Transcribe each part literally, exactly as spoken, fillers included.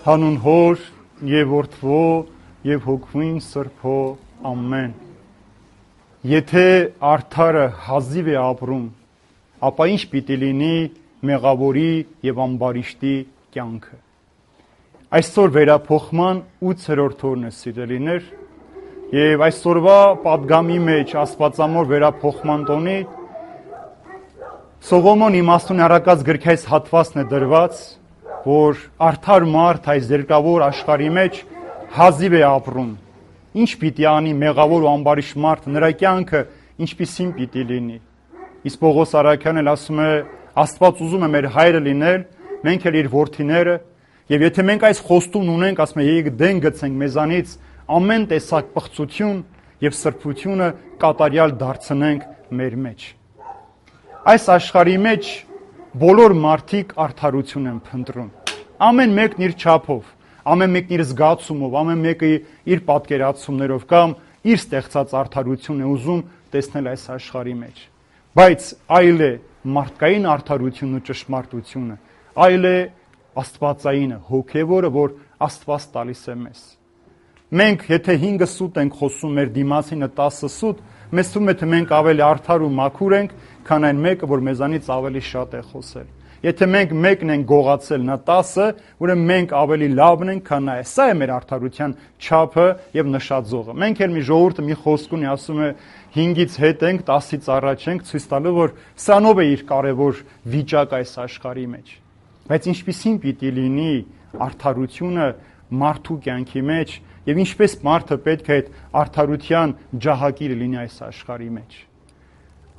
Հանուն Հոր եւ Որդվո եւ Հոգվին Սրբո ամեն։ Եթե արդարը հազիվ է ապրում, ապա ինչ պիտի լինի մեղավորի եւ ամբարիշտի կյանքը։ Այսօր վերափոխման ութերորդ օրն է, սիրելիներ, եւ այսօրվա պատգամի մեջ Աստվածամոր վերափոխման տոնի Սողոմոն իմաստուն առակած գրքայից հատվածն է դրված, որ արդար մարդ այս երկրավոր աշխարհի մեջ հազիվ է ապրում։ Ինչ պիտի անի մեղավոր ու ամբարիշտ մարդը, նրա կյանքը ինչպիսին պիտի լինի։ Իսկ Պողոս Արաքյանն էլ ասում է, Աստված ուզում է մեր հայրը լինել, մենք էլ իր որդիները, եւ եթե մենք այս խոստումն ունենք, ասում է, եկեք դեն գցենք մեզանից ամեն տեսակ պղծություն եւ սրբությունը կատարյալ դարձնենք մեր մեջ։ Այս աշխարհի մեջ բոլոր մարդիկ արդարություն են փնտրում։ Ամեն մեկն իր չափով, ամեն մեկն իր զգացումով, ամեն մեկը իր պատկերացումներով կամ իր ստեղծած արդարությունն է ուզում տեսնել այս աշխարհի մեջ։ Բայց այլ է մարդկային արդարությունն ու ճշմարտությունը, այլ է աստվածայինը, հոգևորը, որ Աստված տալիս է մեզ։ Մենք եթե հինգը սուտ ենք խոսում մեր դիմացինը տասը սուտ, մեզ թվում է թե մենք ավելի արդար ու մաքուր ենք, քան այն մեկը, որ մեզանից ավելի շատ է խոսել։ Եթե մենք մեկն ենք գողացել, նա տասը, ուրեմն մենք ավելի լավն ենք, քան նա է։ Սա է մեր արդարության չափը եւ նշաձողը։ Մենք էլ մի ժողովուրդը մի խոսք ունի, ասում է հինգից հետ ենք, տասից առաջ ենք, ցույց տալու, որ սրանով է իր կարևոր վիճակը այս աշխարհի մեջ։ Բայց ինչպիսին պիտի լինի արդարությունը մարդու կյանքի մեջ եւ ինչպես մարդը պետք է այդ արդարության ջահակիրը լինի այս աշխարհի մեջ։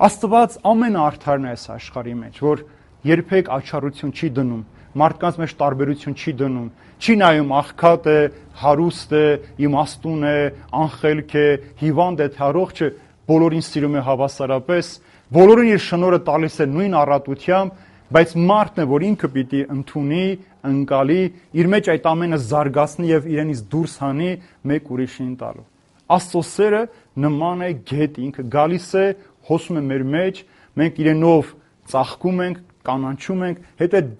Աստված ամենաարդարն է այս աշխարհի մեջ, որ երբեք աչառություն չի դնում, մարդկանց մեջ տարբերություն չի դնում, չի նայում աղքատ է, հարուստ է, իմաստուն է, անխելք է, հիվանդ է, թե առողջ է, բոլորին սիրում է հավասարապես, բոլորին իր շնորհը տալիս է նույն առատությամբ, բայց մարդն է, որ ինքը պիտի ընդունի, ընկալի, իր մեջ այդ ամենը զարգացնի եւ իրենից դուրս հանի մեկ ուրիշին տալու։ Աստծո սերը նման է գետ, ինքը գալիս է, հոսում է մեր մեջ, մենք իրենով ծաղկում ենք, կանանչում ենք, հետո այդ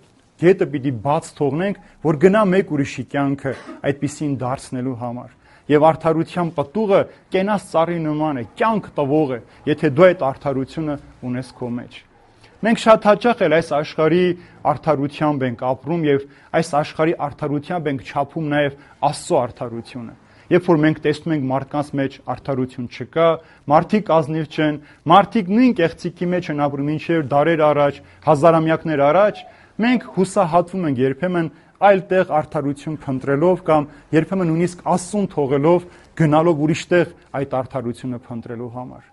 գետը պիտի բաց թողնենք, որ գնա մեկ ուրիշի կյանքը այդպիսին դարձնելու համար։ Եվ արդարության պտուղը կենաց ծառի նման է, կյանք տվող է, եթե դու այդ արդարությունը ունես քո մեջ։ Մենք շատ հաճախ էլ այս աշխարհի արդարությամբ ենք ապրում եւ այս աշխարհի արդարությամբ ենք չափում նաեւ Աստծո արդարությունը։ Երբ որ մենք տեսնում ենք մարդկանց մեջ արդարություն չկա, մարդիկ ազնիվ չեն, մարդիկ նույն կեղծիքի մեջ են ապրում, ինչեր դարեր առաջ, հազարամյակներ առաջ, մենք հուսահատվում ենք երբեմն այլ տեղ արդարություն փնտրելով կամ երբեմն նույնիսկ Աստծուն թողելով գնալով ուրիշ տեղ այդ արդարությունը փնտրելու համար։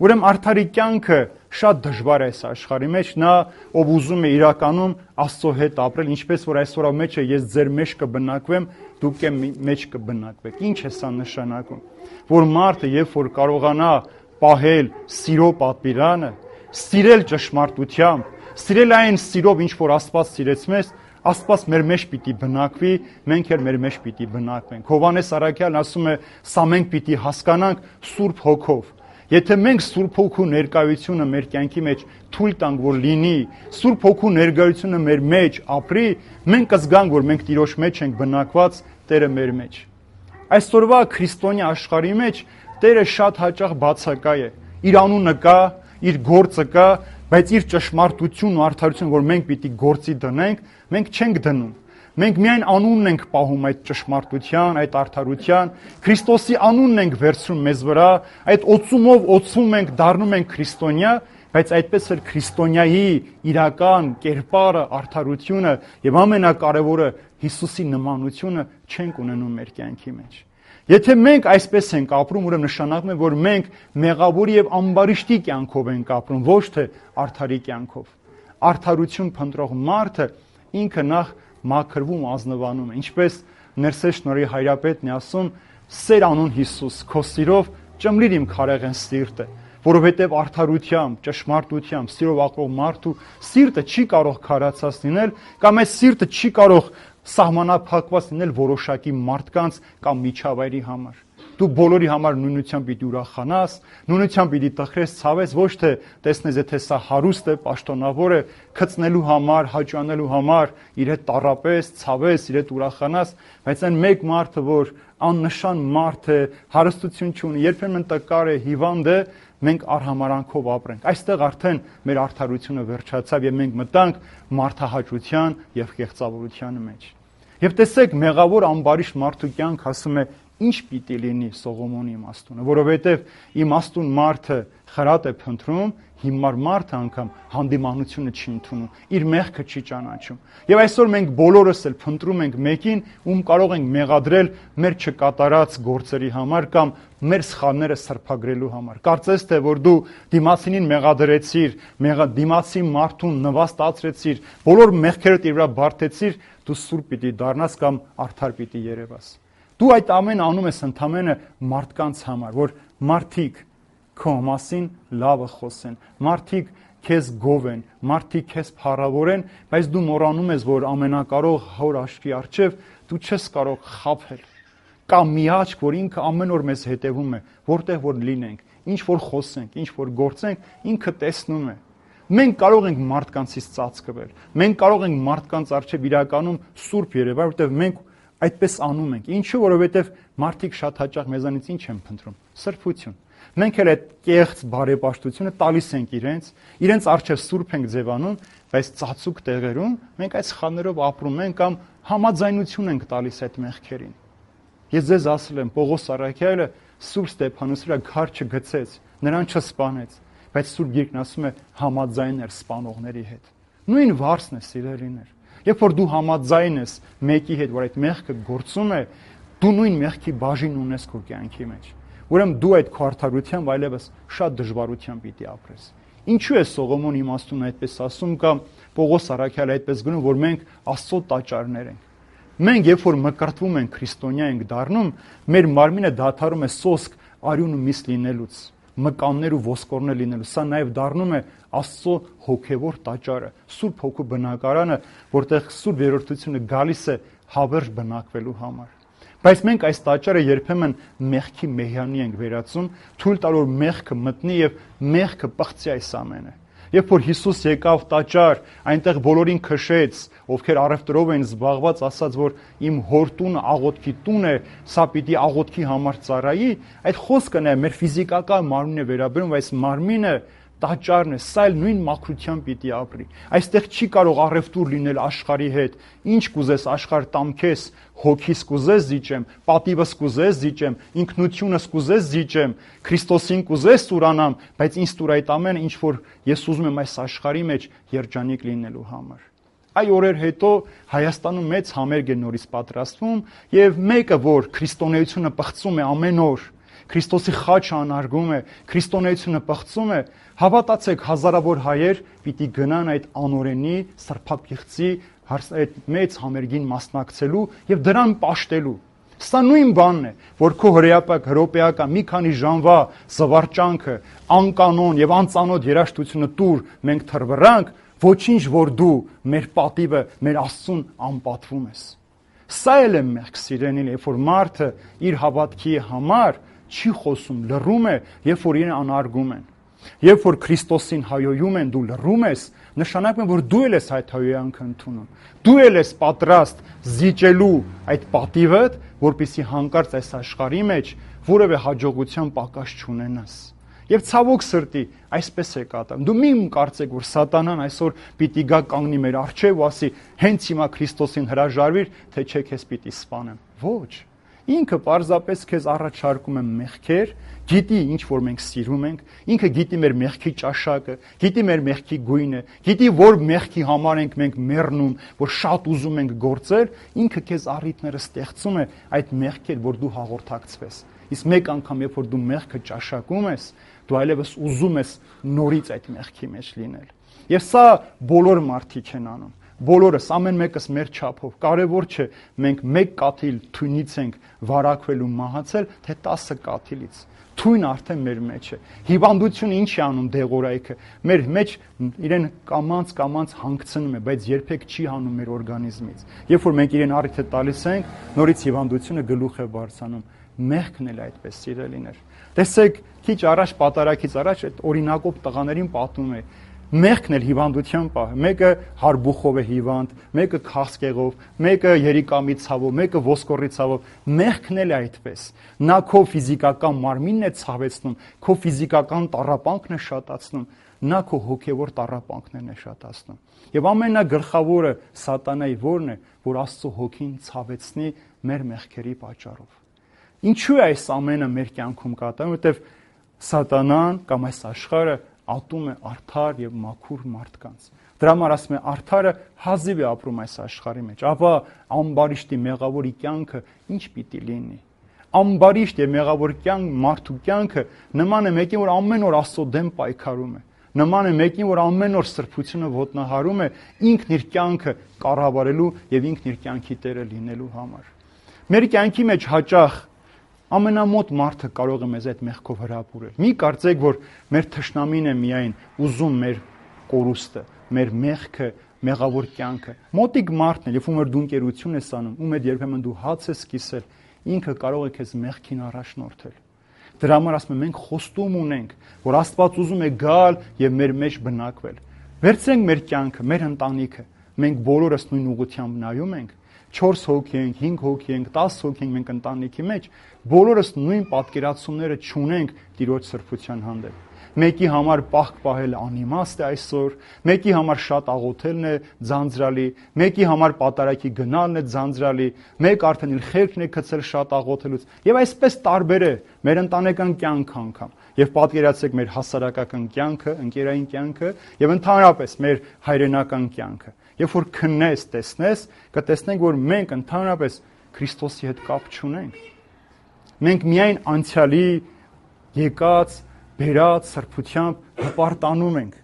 Ուրեմն արդարի կյանքը շատ դժվար է այս աշխարհի մեջ, նա ով ուզում է իրականում Աստծո հետ ապրել, ինչպես որ այսօրվա մեջ է, ես ձեր մեջ կբնակվեմ, դուք եմ մեջ կբնակվեք։ Ինչ է սա նշանակում, որ մարդը երբ որ կարողանա պահել սիրո պատվիրանը, սիրել ճշմարտությամբ, սիրել այն սիրով, ինչ որ Աստված սիրեց մեզ, Աստված մեր մեջ պիտի բնակվի, մենք էլ մեր մեջ պիտի բնակվենք։ Հովհաննես Առաքյալն ասում է, սա մենք պիտի հասկանանք Սուրբ Հոգով։ Եթե մենք Սուրբ Հոգու ներկայությունը մեր կյանքի մեջ թույլ տանք, որ լինի, Սուրբ Հոգու ներկայությունը մեր մեջ ապրի, մենք կզգանք, որ մենք Տիրոջ մեջ ենք բնակված, Տերը մեր մեջ։ Այսօրվա քրիստոնյա աշխարհի մեջ Տերը շատ հաճախ բացակայ է։ Իր անունը կա, իր գործը կա, բայց իր ճշմարտությունն ու արդարությունը, որ մենք պիտի գործի դնենք, մենք չենք դնում։ Մենք միայն անունն ենք պահում այդ ճշմարտության, այդ արդարության, Քրիստոսի անունն ենք վերցնում մեզ վրա, այդ օծումով օծվում ենք, դառնում ենք քրիստոնյա, բայց այդպես էլ քրիստոնյայի իրական կերպարը, արդարությունը եւ ամենակարևորը Հիսուսի նմանությունը չենք ունենում մեր կյանքի մեջ։ Եթե մենք այսպես ենք ապրում, ուրեմն նշանակում է, որ մենք մեղավորի եւ ամբարիշտի կյանքով ենք ապրում, ոչ թե արդարի կյանքով։ Արդարություն փնտրող մարդը ինքը նախ մաքրվում, ազնվանում է, ինչպես Ներսես Շնորհի հայրապետն է ասում, սեր անուն Հիսուս, քո սիրով ճմլիր իմ քարեղեն սիրտը, որովհետև արդարությամբ, ճշմարտությամբ, սիրով ապրող մարդու սիրտը չի կարող քարացած լինել, կամ այս սիրտը չի կարող սահմանափակված լինել որոշակի մարդկանց կամ միջավայրի համար։ դու բոլորի համար նույնությամբ պիտի ուրախանաս, նույնությամբ պիտի տխրես, ցավես, ոչ թե տեսնես, եթե սա հարուստ է, պաշտոնավոր է, քծնելու համար, հաճանելու համար, իր հետ տառապես, ցավես, իր հետ ուրախանաս, բայց այն մեկ մարդը, որ աննշան մարդ է, հարստություն չունի, երբեմն տկար է, հիվանդ է, մենք արհամարանքով ապրենք։ Այստեղ արդեն մեր արդարությունը վերջացավ եւ մենք մտանք մարդահաճության եւ կեղծավորության մեջ։ Եվ տեսեք, մեղավոր ամբարիշտ մարդու կյանք ասում է, ինչ պիտի լինի Սողոմոնի իմաստունը, որովհետև իմաստուն մարդը խրատ է փնտրում, հիմար մարդը անգամ հանդիմանությունը չի ընդունում, իր մեղքը չի ճանաչում։ Եվ այսօր մենք բոլորս էլ փնտրում ենք մեկին, ում կարող ենք մեղադրել մեր չկատարած գործերի համար կամ մեր սխալները սրբագրելու համար։ Կարծես թե որ դու դիմացինին մեղադրեցիր, մեղա դիմացի մարդուն նվաստացրեցիր, բոլոր մեղքերդ իր վրա բարթեցիր, դու սուրբ պիտի դառնաս կամ արդար պիտի երևաս։ Դու այդ ամենը անում ես ընդամենը մարդկանց համար, որ մարդիկ քո մասին լավը խոսեն, մարդիկ քեզ գովեն, մարդիկ քեզ փառավորեն, բայց դու մոռանում ես, որ ամենակարող Հոր աչքի առջև դու չես կարող խաբել։ Կա մի աչք, որ ինքը ամեն օր մեզ հետևում է, որտեղ որ լինենք, ինչ որ խոսենք, ինչ որ գործենք, ինքը տեսնում է։ Մենք կարող ենք մարդկանցից ծածկվել, մենք կարող ենք մարդկանց առջև իրականում սուրբ երևալ, որտեղ մենք այդպես անում ենք։ Ինչու, որովհետև մարդիկ շատ հաճախ մեզանից ինչ են փնտրում։ Սրբություն։ Մենք էլ այդ կեղծ բարեպաշտությունը տալիս ենք իրենց, իրենց առջև սուրբ ենք ձևանում, բայց ծածուկ տեղերում մենք այդ սխալներով ապրում ենք կամ համաձայնություն ենք տալիս այդ մեղքերին։ Ես ձեզ ասել եմ, Պողոս Առաքյալը Սուրբ Ստեփանոս վրա քար չգցեց, նրան չսպանեց, բայց Սուրբ Գիրքն ասում է համաձայն էր սպանողների հետ։ Նույն վարձն է, սիրելիներ։ Երբ որ դու համաձայն ես մեկի հետ, որ այդ մեղքը գործում է, դու նույն մեղքի բաժին ունես քո կյանքի մեջ։ Ուրեմն դու այդ քո արդարությամբ այլևս շատ դժվարությամբ պիտի ապրես։ Ինչու է Սողոմոն իմաստուն այդպես ասում կամ Պողոս Առաքյալը այդպես գնում, որ մենք Աստծո տաճարներ ենք։ Մենք երբ որ մկրտվում ենք, քրիստոնյա ենք դառնում, մեր մարմինը դադարում է սոսկ, արյուն ու միս լինելուց, մկաններ ու ոսկորներ լինելու։ Սա նաև դառնում է Աստծո հոգևոր տաճարը, Սուրբ Հոգու բնակարանը, որտեղ Սուրբ երրորդությունը գալիս է հավերժ բնակվելու համար։ Բայց մենք այս տաճարը երբեմն մեղքի մեհյանի ենք վերածում, թույլ տալ որ մեղքը մտնի եւ մեղքը պղծի այս ամենը։ Երբ որ Հիսուս եկավ տաճար, այնտեղ բոլորին քշեց, ովքեր առևտրով էին զբաղված, ասաց, որ իմ հոր տունը աղոթքի տուն է, սա պիտի աղոթքի համար ծառայի, այդ խոսքը նա մեր ֆիզիկական մարմինն է վերաբերում, բայց մարմինը տաճարն է, սա էլ նույն մաքրությամբ պիտի ապրի։ Այստեղ չի կարող առևտուր լինել աշխարհի հետ։ Ինչ կուզես աշխարհ տամ քեզ, հոգիս կուզես զիջեմ, պատիվս կուզես զիջեմ, ինքնությունս կուզես զիջեմ, Քրիստոսին կուզես ստուրանամ, բայց ինձ ստուր այդ ամենը, ինչ որ ես ուզում եմ այս աշխարհի մեջ երջանիկ լինելու համար։ Այ օրեր հետո Հայաստանում մեծ համերգ է նորից պատրաստվում, եւ մեկը, որ քրիստոնեությունը պղծում է ամեն օր, Քրիստոսի խաչը անարգում է, քրիստոնեությունը պղծում է, հավատացեք, հազարավոր հայեր պիտի գնան այդ անօրենի սրբապիղծի այդ մեծ համերգին մասնակցելու եւ դրան պաշտելու։ Սա նույն բանն է, որ քո հրեապակ հրոպեական մի քանի ժամվա զվարճանքը, անկանոն եւ անծանոթ երաշտությունը տուր մենք թռվրանք, ոչինչ որ դու մեր պատիվը, մեր Աստծուն անպատվում ես։ Սա էլ է մեղք, սիրելիներ, երբ որ մարդը իր հավատքի համար չի խոսում, լռում է, երբ որ իրեն անարգում են։ Երբ որ Քրիստոսին հայոյում են, դու լռում ես, նշանակում է, որ դու էլ ես այդ հայոյանքը ընդունում։ Դու էլ ես պատրաստ զիջելու այդ պատիվդ, որպեսզի հանկարծ այս աշխարհի մեջ որևէ հաջողության պակաս չունենաս։ Եվ ցավոք սրտի, այսպես է կատարվում։ Դու մի կարծեք, որ սատանան այսօր պիտի գա կանգնի մեր առջև ու ասի, հենց հիմա Քրիստոսին հրաժարվիր, թե չէ քեզ պիտի սպանեմ։ Ոչ։ Ինքը պարզապես քեզ առաջարկում է մեղքեր, գիտի ինչ որ մենք սիրում ենք, ինքը գիտի մեր մեղքի ճաշակը, գիտի մեր մեղքի գույնը, գիտի որ մեղքի համար ենք մենք մեռնում, որ շատ ուզում ենք գործել, ինքը քեզ առիթները ստեղծում է այդ մեղքեր, որ դու հաղորդակցվես։ Իսկ մեկ անգամ, երբ որ դու մեղքը ճաշակում ես, դու այլևս ուզում ես նորից այդ մեղքի մեջ լինել։ Եվ սա բոլոր մարդիկ են անում։ Բոլորս, ամեն մեկս մեր չափով։ Կարևոր չէ մենք մեկ կաթիլ թույնից ենք վարակվել ու մահացել, թե տասը կաթիլից։ Թույն արդեն մեր մեջ է։ Հիվանդությունը ինչ է անում դեղորայքը։ Մեր մեջ իրեն կամած-կամած հանգցնում է, բայց երբեք չի հանում մեր օրգանիզմից։ Երբ որ մենք իրեն առիթ տալիս ենք, նորից հիվանդությունը գլուխ է բարձրանում։ Մեղքն էլ այդպես սիրելիներ։ Տեսեք, քիչ առաջ պատարակից առաջ այդ օրինակով տղաներին պատմում է։ Մեղքն էլ հիվանդության պահ։ Մեկը հարբուխով է հիվանդ, մեկը քաղցկեղով, մեկը երիկամի ցավով, մեկը ոսկորի ցավով։ Մեղքն էլ է այդպես։ Նա քո ֆիզիկական մարմինն է ցավեցնում, քո ֆիզիկական տառապանքն է շատացնում, նա քո հոգևոր տառապանքներն է շատացնում։ Եվ ամենագլխավորը սատանայի որն է, որ Աստծո հոգին ցավեցնի մեր մեղքերի պատճառով։ Ինչու է այս ամենը մեր կյանքում կատարվում, որտեվ սատանան կամ այս աշխարհը ատում է արդար եւ մաքուր մարդկանց։ Դրա համար ասում է արդարը հազիվ է ապրում այս աշխարհի մեջ, ապա ամբարիշտի մեղավորի կյանքը ինչ պիտի լինի։ Ամբարիշտ եւ մեղավոր կյանք մարդու կյանքը նման է մեկին, որ ամեն օր Աստծո դեմ պայքարում է։ Նման է մեկին, որ ամեն օր սրբությունը ոտնահարում է ինքն իր կյանքը կառավարելու եւ ինքն իր կյանքի տերը լինելու համար։ Մեր կյանքի մեջ հաճախ ամենամոտ մարդը կարող է մեզ այդ մեղքով հրապուրել։ Մի կարծեք, որ մեր թշնամին է միայն ուզում մեր կորուստը, մեր մեղքը, մեղավոր կյանքը։ Մոտիկ մարդն է, երբ որ դու ընկերություն ես անում, ում հետ երբեմն դու հաց ես կիսել, ինքը կարող է քեզ մեղքին առաջնորդել։ Դրա համար ասում եմ, մենք խոստում ունենք, որ Աստված ուզում է գալ եւ մեր մեջ բնակվել։ Վերցրենք մեր կյանքը, մեր ընտանիքը, մենք բոլորս նույն ուղղությամբ նայում ենք։ չորս հոգի ենք, հինգ հոգի ենք, տասը հոգի ենք մենք ընտանիքի մեջ, բոլորս նույն պատկերացումները չունենք Տիրոջ սրբության հանդեպ։ Մեկի համար պահք պահելը անիմաստ է այսօր, մեկի համար շատ աղոթելն է ձանձրալի, մեկի համար պատարակի գնալն է ձանձրալի, մեկ արդեն իր խելքն է գցել շատ աղոթելուց։ Եվ այսպես տարբեր է մեր ընտանեկան կյանքը անգամ։ Եվ պատկերացրեք մեր հասարակական կյանքը, ընկերային կյանքը եւ ընդհանրապես մեր հայրենական կյանքը։ Երբ որ քննես, տեսնես, կտեսնենք, որ մենք ընդհանրապես Քրիստոսի հետ կապ չունենք։ Մենք միայն անցյալի եկած, բերած սրբությամբ հպարտանում ենք,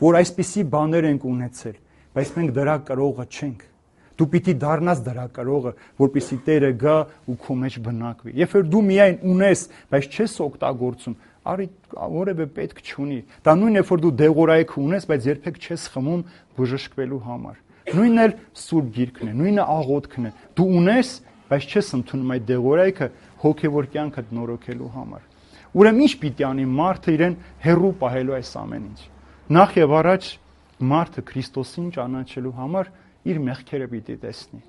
որ այսպիսի բաներ ենք ունեցել, բայց մենք դրա կրողը չենք։ Դու պիտի դառնաս դրա կրողը, որպեսզի Տերը գա ու քո մեջ բնակվի։ Երբ որ դու միայն ունես, բայց չես օգտագործում, արի որևէ պետք չունի։ Դա նույնն է, որ դու դեղորայք ունես, բայց երբեք չես խմում բժշկվելու համար։ Նույնն էլ Սուրբ Գիրքն է, նույնը աղոթքն է։ Դու ունես, բայց չես ընդունում այդ դեղորայքը հոգևոր կյանքդ նորոգելու համար։ Ուրեմն ինչ պիտի անի մարդը իրեն հեռու պահելու այս ամեն ինչ։ Նախ եւ առաջ մարդը Քրիստոսին ճանաչելու համար իր մեղքերը պիտի տեսնի։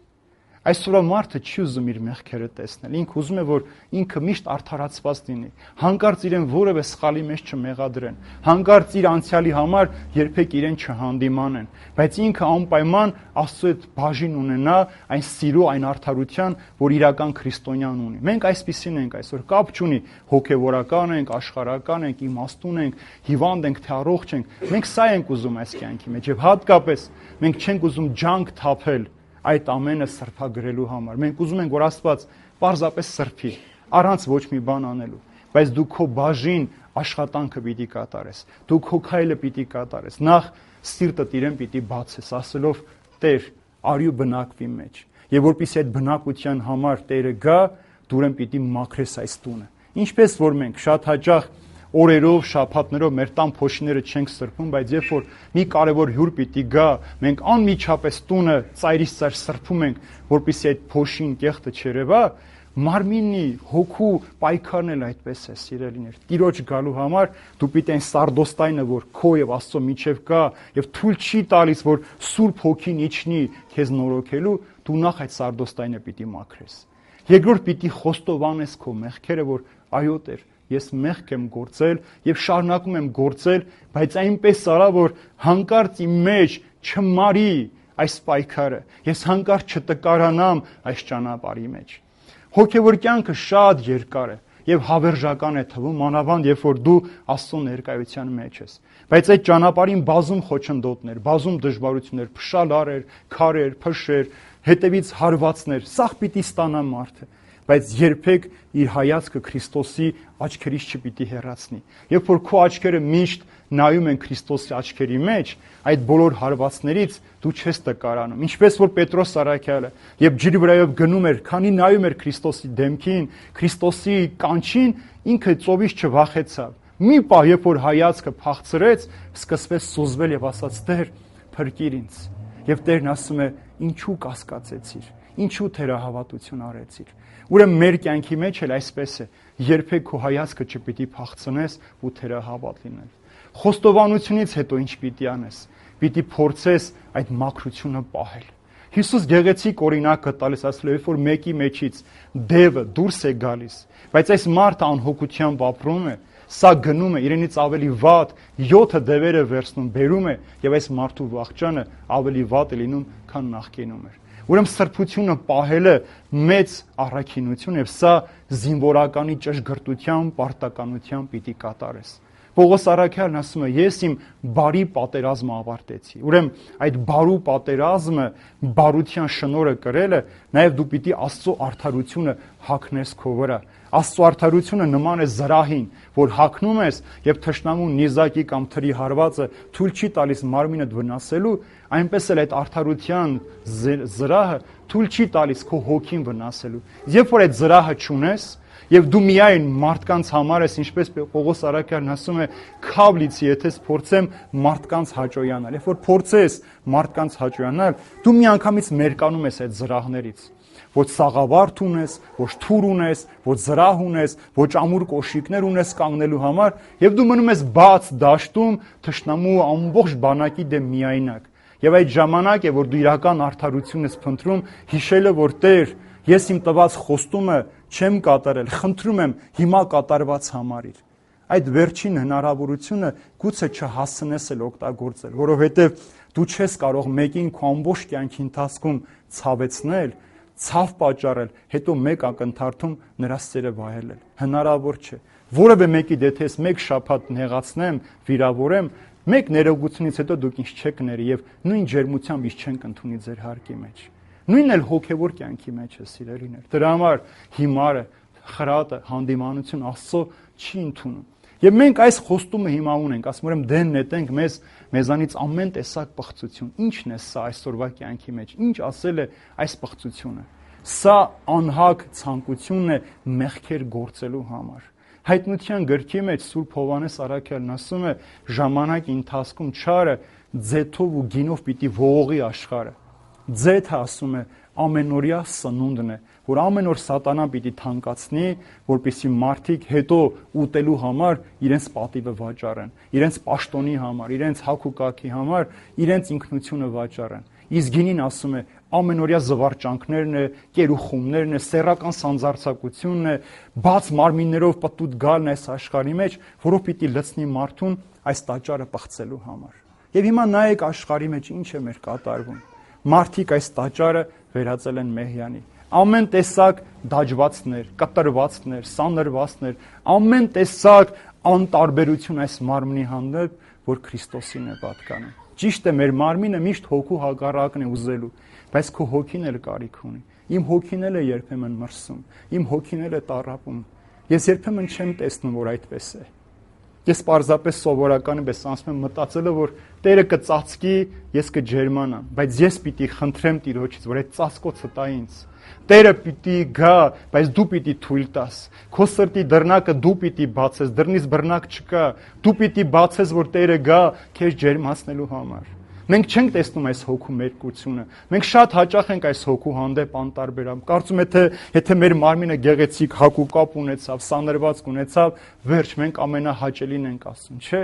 Այսօր մարդը չի ուզում իր մեղքերը տեսնել։ Ինքը ուզում է, որ ինքը միշտ արդարացված լինի։ Հանկարծ իրեն որևէ սխալի մեջ չմեղադրեն։ Հանկարծ իր անցյալի համար երբեք իրեն չհանդիմանեն։ Բայց ինքը անպայման Աստծո հետ բաժին ունենա այն սիրո, այն արդարության, որ իրական քրիստոնյան ունի։ Մենք այսպիսին ենք այսօր, կապ չունի հոգևորական ենք, աշխարհական ենք, իմաստուն ենք, հիվանդ ենք, թե առողջ ենք։ Մենք սա ենք ուզում այս կյանքի մեջ եւ հատկապես մենք չենք ուզում ջանք թափել այդ ամենը սրբագրելու համար։ Մենք ուզում ենք, որ Աստված պարզապես սրբի, առանց ոչ մի բան անելու, բայց դու քո բաժին աշխատանքը պիտի կատարես, դու քո քայլը պիտի կատարես, նախ սիրտդ իրեն պիտի բացես, ասելով Տեր, արի ու բնակվի մեջ, եւ որպեսզի այդ բնակության համար Տերը գա, դու իրեն պիտի մաքրես այս տունը։ Ինչպես որ մենք շատ հաճախ օրերով, շաբաթներով մեր տան փոշիները չենք սրբում, բայց երբ որ մի կարևոր հյուր պիտի գա, մենք անմիջապես տունը ծայրից ծայր սրբում ենք, որպեսզի այդ փոշին կեղտը չերևա, մարմինի, հոգու պայքարն էլ այդպես է, սիրելիներ։ Տիրոջ գալու համար դու պիտի այն սարդոստայնը, որ քո եւ Աստծո միջև կա, եւ թույլ չի տալիս, որ Սուրբ Հոգին իջնի քեզ նորոգելու, դու նախ այդ սարդոստայնը պիտի մաքրես։ Երկրորդ պիտի խոստովանես քո մեղքերը, որ այո Տեր, ես մեղք եմ գործել եւ շարունակում եմ գործել, բայց այնպես արա, որ հանկարծ իմ մեջ չմարի այս պայքարը, ես հանկարծ չտկարանամ այս ճանապարհի մեջ։ Հոգևոր կյանքը շատ երկար է եւ հավերժական է թվում, մանավանդ երբ որ դու Աստծո ներկայության մեջ ես։ Բայց այդ ճանապարհին բազում խոչընդոտներ, բազում դժվարություններ, փշալարեր, քարեր, փշեր, հետևից հարվածներ, սաղ պիտի ստանա մարդը։ բայց երբեք իր հայացքը Քրիստոսի աչքերից չպիտի հեռացնի։ Երբ որ քո աչքերը միշտ նայում են Քրիստոսի աչքերի մեջ, այդ բոլոր հարվածներից դու չես տկարանում։ Ինչպես որ Պետրոս Սարաքյալը, երբ ջրի վրայով գնում էր, քանի նայում էր Քրիստոսի դեմքին, Քրիստոսի կանչին, ինքը ծովից չվախեցավ։ Մի պահ, երբ որ հայացքը փախցրեց, սկսվեց սուզվել եւ ասաց. «Տեր, փրկիր ինձ»։ Եվ Տերն ասում է. «Ինչու կասկածեցիր, ինչու թերահավատություն արեցիր»։ Ուրեմն մեր կյանքի մեջ էլ այսպես է, երբեք քո հայացքը չպիտի փախցնես ու թերահավատ լինել։ Խոստովանությունից հետո ինչ պիտի անես։ Պիտի փորձես այդ մաքրությունը պահել։ Հիսուս գեղեցիկ օրինակը տալիս, ասելով, երբ որ մեկի մեջից դևը դուրս է գալիս, բայց այս մարդը անհոգությամբ ապրում է, սա գնում է իրենից ավելի վատ, յոթը դևերը վերցնում, բերում է եւ այս մարդու վախճանը ավելի վատ է լինում, քան նախկինում էր։ Ուրեմն սրբությունը պահելը մեծ առաքինություն եւ սա զինվորականի ճշգրտությամբ, պարտականությամբ պիտի կատարես։ Պողոս առաքյալն ասում է. «Ես իմ բարի պատերազմը ավարտեցի»։ Ուրեմն այդ բարու պատերազմը, բարության շնորհը կրելը, նաեւ դու պիտի Աստծո արդարությունը հագնես քո վրա։ Աստծո արդարությունը նման է զրահին, որ հագնում ես եւ թշնամու նիզակի կամ թրի հարվածը թույլ չի տալիս մարմինդ վնասելու, այնպես էլ այդ արդարության զրահը թույլ չի տալիս քո հոգին վնասելու։ Երբ որ այդ զրահը չունես, եւ դու միայն մարդկանց համար ես, ինչպես Պողոս առաքյալն ասում է, քավլիցի, եթե փորձեմ մարդկանց հաճոյանալ։ Երբ որ փորձես մարդկանց հաճոյանալ, դու միանգամից մերկանում ես այդ զրահներից։ Ոչ սաղավարտ ունես, ոչ թուր ունես, ոչ զրահ ունես, ոչ ամուր կոշիկներ ունես կանգնելու համար, եւ դու մնում ես բաց դաշտում թշնամու ամբողջ բանակի դեմ միայնակ։ Եվ այդ ժամանակ է, որ դու իրական արդարություն ես փնտրում, հիշելը, որ Տեր, ես իմ տված խոստումը չեմ կատարել, խնդրում եմ հիմա կատարված համարիր։ Այդ վերջին հնարավորությունը գուցե չհասցնես էլ օգտագործել, որովհետև դու չես կարող մեկին քո ամբողջ կյանքի ընթացքում ցավեցնել, ցավ պատճառել, հետո մեկ ակնթարթում նրա սերը վայելել։ Հնարավոր չէ։ Որևէ մեկի դեպ ես մեկ շաբաթ նեղացնեմ, վիրավորեմ, մեկ ներողությունից հետո դուք ինձ չեք ների եւ նույն ջերմությամբ ինձ չենք ընդունի ձեր հարկի մեջ։ Նույնն էլ հոգեվոր կյանքի մեջ է, սիրելիներ։ Դրա համար հիմարը, խրատը, հանդիմանություն Աստծո չի ընդունում։ Եվ մենք այս խոստումը հիմա ունենք, ասում եմ դեն նետենք մեզ մեզանից ամեն տեսակ պղծություն։ Ի՞նչն է սա այսօրվա կյանքի մեջ։ Ինչ ասել է այս պղծությունը։ Սա անհակ ցանկությունն է մեղքեր գործելու համար։ Հայտնության գրքի մեջ Սուրբ Հովհաննես առաքյալն ասում է, ժամանակի ընթացքում չարը ձեթով ու գինով պիտի ողողի աշխարհը։ Ձեթը ասում է ամենօրյա սնունդն է, որ ամեն օր սատանան պիտի թանկացնի, որպեսզի մարդիկ հետո ուտելու համար իրենց պատիվը վաճառեն, իրենց պաշտոնի համար, իրենց հագ ու կարգի համար, իրենց ինքնությունը վաճառեն։ Իսկ գինին ասում է ամենօրյա զվարճանքներն է, կերուխումներն է, սեռական սանձարձակությունն է, բաց մարմիններով պտուտ գալն այս աշխարհի մեջ, որով պիտի լցնի մարդուն այս տաճարը պղծելու համար։ Եվ հիմա նայեք աշխարհի մեջ ինչ է մեր կատարվում։ Մարդիկ այս տաճարը վերածել են մեհյանի։ Ամեն տեսակ դաջվածներ, կտրվածներ, սանրվածներ, ամեն տեսակ անտարբերություն այս մարմնի հանդեպ, որ Քրիստոսին է պատկանում։ Ճիշտ է, մեր մարմինը միշտ հոգու հակառակն է ուզելու, բայց քո հոգին էլ կարիք ունի։ Իմ հոգին էլ է երբեմն մրսում, իմ հոգին էլ է տառապում։ Ես երբեմն չեմ տեսնում, որ այդպես է։ Ես պարզապես սովորականի պես ասում եմ մտածելը, որ Տերը կծածկի, ես կջերմանամ, բայց ես պիտի խնդրեմ Տիրոջից, որ այդ ծածկոցը տա ինձ։ Տերը պիտի գա, բայց դու պիտի թույլ տաս։ Քո սրտի դռնակը դու պիտի բացես, դռնից բռնակ չկա։ Դու պիտի բացես, որ Տերը գա քեզ ջերմացնելու համար։ Մենք չենք տեսնում այս հոգու մերկությունը։ Մենք շատ հաճախ ենք այս հոգու հանդեպ անտարբերամ։ Կարծում եմ, թե եթե մեր մարմինը գեղեցիկ հակուկապ ունեցավ, սանրվածք ունեցավ, վերջ մենք ամենահաճելին ենք ասում, չէ։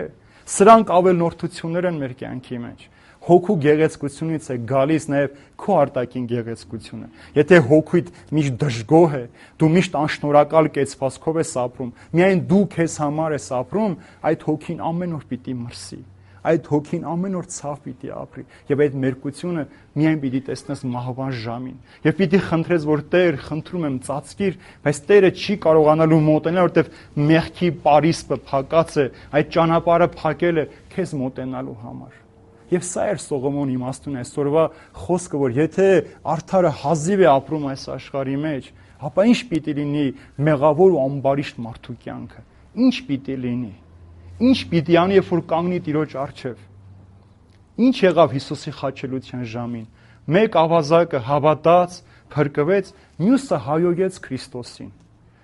Սրանք ավելնորդություններ են մեր կյանքի մեջ։ Հոգու գեղեցկությունից է գալիս նաև քո արտաքին գեղեցկությունը։ Եթե հոգուդ միշտ դժգոհ է, դու միշտ անշնորհակալ կեցվածքով ես ապրում, միայն դու քեզ համար ես ապրում, այդ հոգին ամեն օր պիտի մրսի։ Այդ հոգին ամեն օր ցավ պիտի ապրի եւ այդ մերկությունը միայն պիտի տեսնես մահվան ժամին եւ պիտի խնդրես, որ Տեր, խնդրում եմ ծածկիր, բայց Տերը չի կարողանալու մոտենալ, որտեվ մեղքի պարիսպը փակած է, այդ ճանապարհը փակել է քեզ մոտենալու համար։ Եվ սա էր Սողոմոնի իմաստուն այսօրվա խոսքը, որ եթե արդարը հազիվ է ապրում այս աշխարհի մեջ, ապա ինչ պիտի լինի մեղավոր ու ամբարիշտ մարդու կյանքը։ Ինչ պիտի լինի։ Ինչ պիտի անի, երբ որ կանգնի Տիրոջ առջև։ Ինչ եղավ Հիսուսի խաչելության ժամին։ Մեկ ավազակը հավատաց, փրկվեց, մյուսը հայոյեց Քրիստոսին։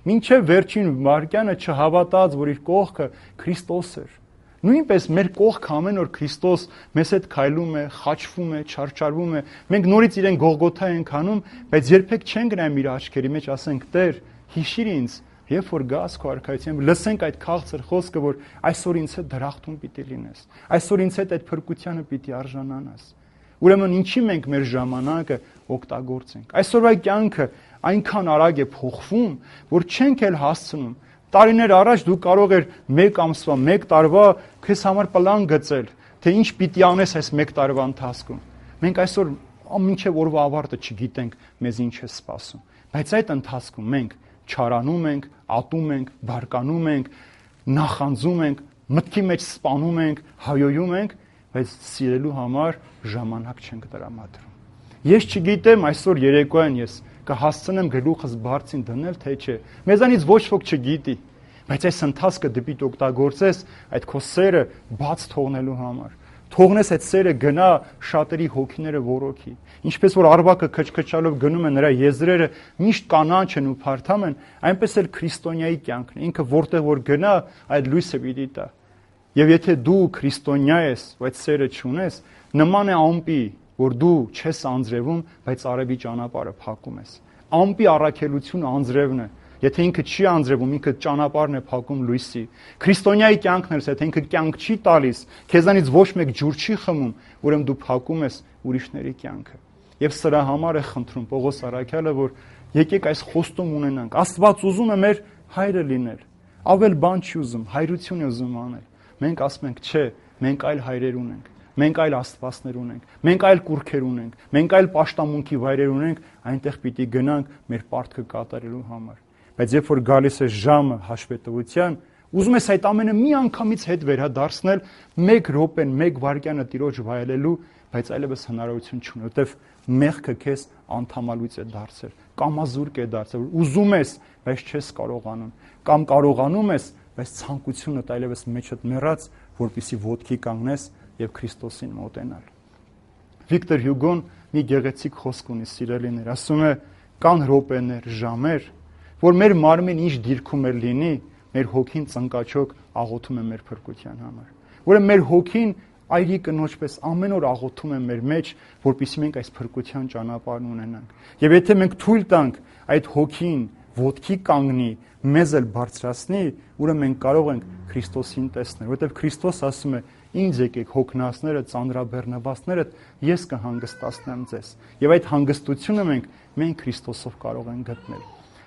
Մինչև վերջին վայրկյանը չհավատաց, որ իր կողքը Քրիստոս էր։ Նույնպես մեր կողքը ամեն օր Քրիստոս մեզ հետ քայլում է, խաչվում է, չարչարվում է։ Մենք նորից իրեն Գողգոթա ենք անում, բայց երբեք չեն գնայում իր աչքերի մեջ, ասենք՝ Տեր, հիշիր ինձ, երբ որ գաս քո արքայությամբ, լսենք այդ քաղցր խոսքը, որ այսօր ինձ հետ դրախտում պիտի լինես, այսօր ինձ հետ այդ փրկությանը պիտի արժանանաս։ Ուրեմն ինչի մենք մեր ժամանակը օգտագործենք։ Այսօրվա կյանքը այնքան արագ է փոխվում, որ չենք էլ հասցնում։ Տարիներ առաջ դու կարող էր մեկ ամսվա, մեկ տարվա քեզ համար պլան գծել, թե ինչ պիտի անես այս մեկ տարվա ընթացքում։ Մենք այսօր մինչև օրվա ավարտը չգիտենք մեզ ինչ է սպասում։ Բայց այդ ընթացքում մենք չարանում ենք, ատում ենք, բարկանում ենք, նախանձում ենք, մտքի մեջ սպանում ենք, հայոյում ենք, բայց սիրելու համար ժամանակ չենք տրամադրում։ Ես չգիտեմ այսօր երեկոյան ես կհասցնեմ գլուխս բարձին դնել, թե չէ։ Մեզանից ոչ ոք չգիտի, բայց այս ընթացքը դեպի օգտագործես այդ քո սերը բաց թողնելու համար։ Թողնես այդ սերը գնա շատերի հոգիները որոքի։ Ինչպես որ արբակը քչքչալով գնում է, նրա եզրերը միշտ կանաչ են ու փարթամ են, այնպես էլ քրիստոնյայի կյանքն է։ Ինքը որտեղ որ գնա, այդ լույսը պիտի տա։ Եվ եթե դու քրիստոնյա ես, ու այդ սերը չունես, նման է ամպի, որ դու չես անձրևում, բայց արևի ճանապարհը փակում ես։ Ամպի առաքելությունը անձրևն է։ Եթե ինքը չի անձրևում, ինքը ճանապարհն է փակում լույսի։ Քրիստոնյայի կյանքն է, եթե ինքը կյանք չի տալիս, քեզանից ոչ մեկ ջուր չի խմում, ուրեմն դու փակում ես ուրիշների կյանքը։ Եվ սրա համար է խնդրում Պողոս առաքյալը, որ եկեք այս խոստում ունենանք։ Աստված ուզում է մեր հայրը լինել։ Ավել բան չի ուզում, հայրություն է ուզում անել։ Մենք ասում ենք, չէ, մենք այլ հայրեր ունենք։ Մենք այլ աստվածներ ունենք, մենք այլ կուռքեր ունենք, մենք այլ պաշտամունքի վայրեր ունենք, այնտեղ պիտի գնանք մեր պարտքը կատարելու համար։ Բայց երբ որ գալիս է ժամը հաշվետվության, ուզում ես այդ ամենը մի անգամից հետ վերադարձնել, մեկ րոպեն, մեկ վայրկյանը Տիրոջ վայելելու, բայց այլևս հնարավորություն չունի, որտեվ մեղքը քեզ անդամալույց է դարձել, կամազուրկ է դարձել, ուզում ես, բայց չես կարողանում, կամ կարողանում ես, բայց ցանկությունդ այլևս մեջդ մեռած, որպեսզի ոտքի կանգնես եւ Քրիստոսին մոտենալ։ Վիկտոր Հյուգոն մի գեղեցիկ խոսք ունի, սիրելիներ, ասում է, կան րոպեներ, ժամեր, որ մեր մարմին ինչ դիրքում է լինի, մեր հոգին ծնկաչոք աղոթում է մեր փրկության համար։ Ուրեմն մեր հոգին այրի կնոջպես ամեն օր աղոթում է մեր մեջ, որպեսզի մենք այս փրկության ճանապարհն ունենանք։ Եվ եթե մենք թույլ տանք այդ հոգին ոտքի կանգնի, մեզ էլ բարձրացնի, ուրեմն մենք կարող ենք Քրիստոսին տեսնել, որովհետև Քրիստոս ասում է. Ինձ եկեք հոգնածները, ծանրաբեռնվածներդ, ես կհանգստացնեմ ձեզ։ Եվ այդ հանգստությունը մենք մենք Քրիստոսով կարող ենք գտնել։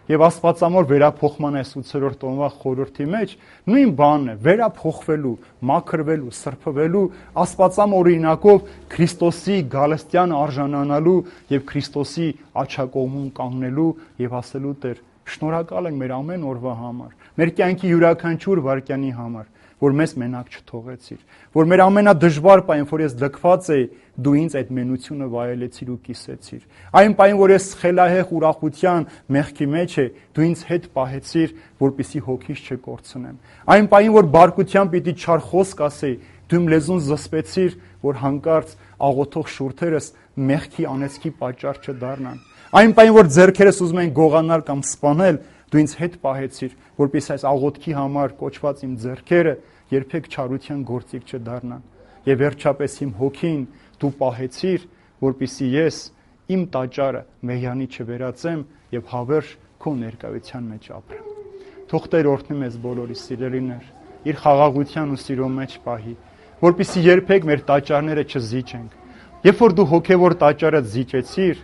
Եվ Աստվածամոր վերափոխման այս ութերորդ տոնվա խորհրդի մեջ նույն բանն է, վերափոխվելու, մաքրվելու, սրբվելու, Աստվածամոր օրինակով Քրիստոսի գալստյան արժանանալու եւ Քրիստոսի աջակողմում կանգնելու եւ ասելու Տեր, շնորհակալ ենք մեր ամեն օրվա համար, մեր կյանքի յուրաքանչյուր վայրկյանի համար, որ մեզ մենակ չթողեցիր, որ մեր ամենադժվար պահին, որ ես լքված էի, դու ինձ այդ մենությունը վայելեցիր ու կիսեցիր։ Այն պահին, որ ես խելահեղ ուրախության մեղքի մեջ էի, դու ինձ հետ պահեցիր, որպեսզի հոգիս չկորցնեմ։ Այն պահին, որ բարկության պիտի չար խոսք ասեի, դու իմ լեզուն զսպեցիր, որ հանկարծ աղոթող շուրթերս մեղքի անեծքի պատճառ չդառնան։ Այն պահին, որ ձեռքերս ուզում են գողանալ կամ սպանել, դու ինձ հետ պահեցիր, որպեսզի այս աղոթքի համար կոչված իմ ձեռքերը երբեք չարության գործիք չդառնան։ Եվ վերջապես իմ հոգին դու պահեցիր, որպեսզի ես իմ տաճարը մեհյանի չվերածեմ եւ հավերժ քո ներկայության մեջ ապրեմ։ Թող Տեր օրհնի մեզ բոլորի, սիրելիներ, իր խաղաղության ու սիրո մեջ պահի, որպեսզի երբեք մեր տաճարները չզիջենք։ Երբ որ դու հոգեվոր տաճարը զիջեցիր,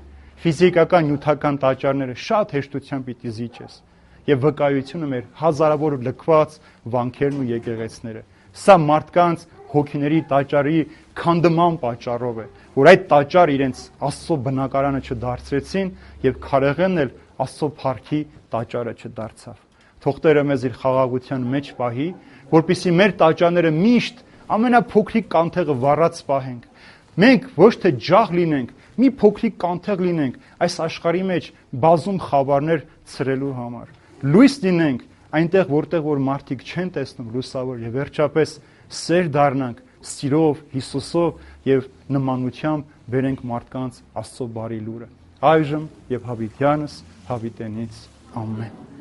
ֆիզիկական նյութական տաճարները շատ հեշտությամբ պիտի զիջես։ Եվ վկայությունը մեր հազարավոր լքված վանքերն ու եկեղեցները։ Սա մարդկանց հոգիների տաճարի քանդման պատճառով է, որ այդ տաճարը իրենց Աստծո բնակարանը չդարձրեցին եւ քարեղենն էլ Աստծո փառքի տաճարը չդարձավ։ Թող Տերը մեզ իր խաղաղության մեջ պահի, որպեսզի մեր տաճարները միշտ ամենափոքրիկ կանթեղը վառած պահենք։ Մենք ոչ թե ջահ լինենք, Մի փոքրիկ կանթեղ լինենք այս աշխարհի մեջ բազում խավարներ ցրելու համար։ Լույս լինենք այնտեղ, որտեղ որ մարդիկ չեն տեսնում լուսավոր, եւ վերջապես սեր դառնանք սիրով, Հիսուսով եւ նմանությամբ բերենք մարդկանց Աստծո բարի լուրը։ Այժմ եւ հավիտյանս հավիտենից ամեն։